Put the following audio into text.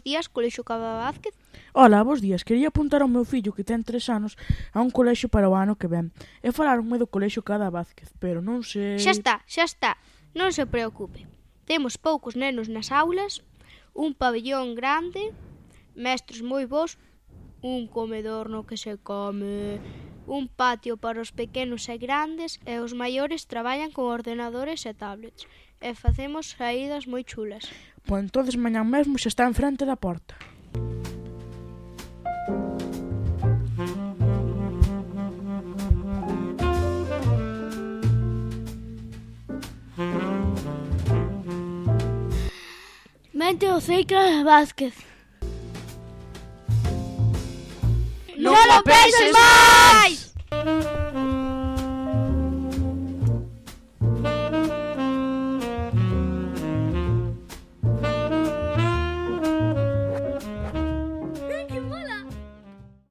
días, Colexio Cada Vázquez. Ola, bos días. Quería apuntar ao meu fillo que ten 3 anos a un colexio para o ano que ven. E falaronme do Colexio Cada Vázquez, pero non sei... Xa está. Non se preocupe. Temos poucos nenos nas aulas, un pabellón grande, mestres moi bons, un comedor no que se come, un patio para os pequenos e grandes e os maiores traballan con ordenadores e tablets. E facemos saídas moi chulas. Pois entonces mañán mesmo xa está en frente da porta. Mente o Cada Vázquez. Non o penses máis!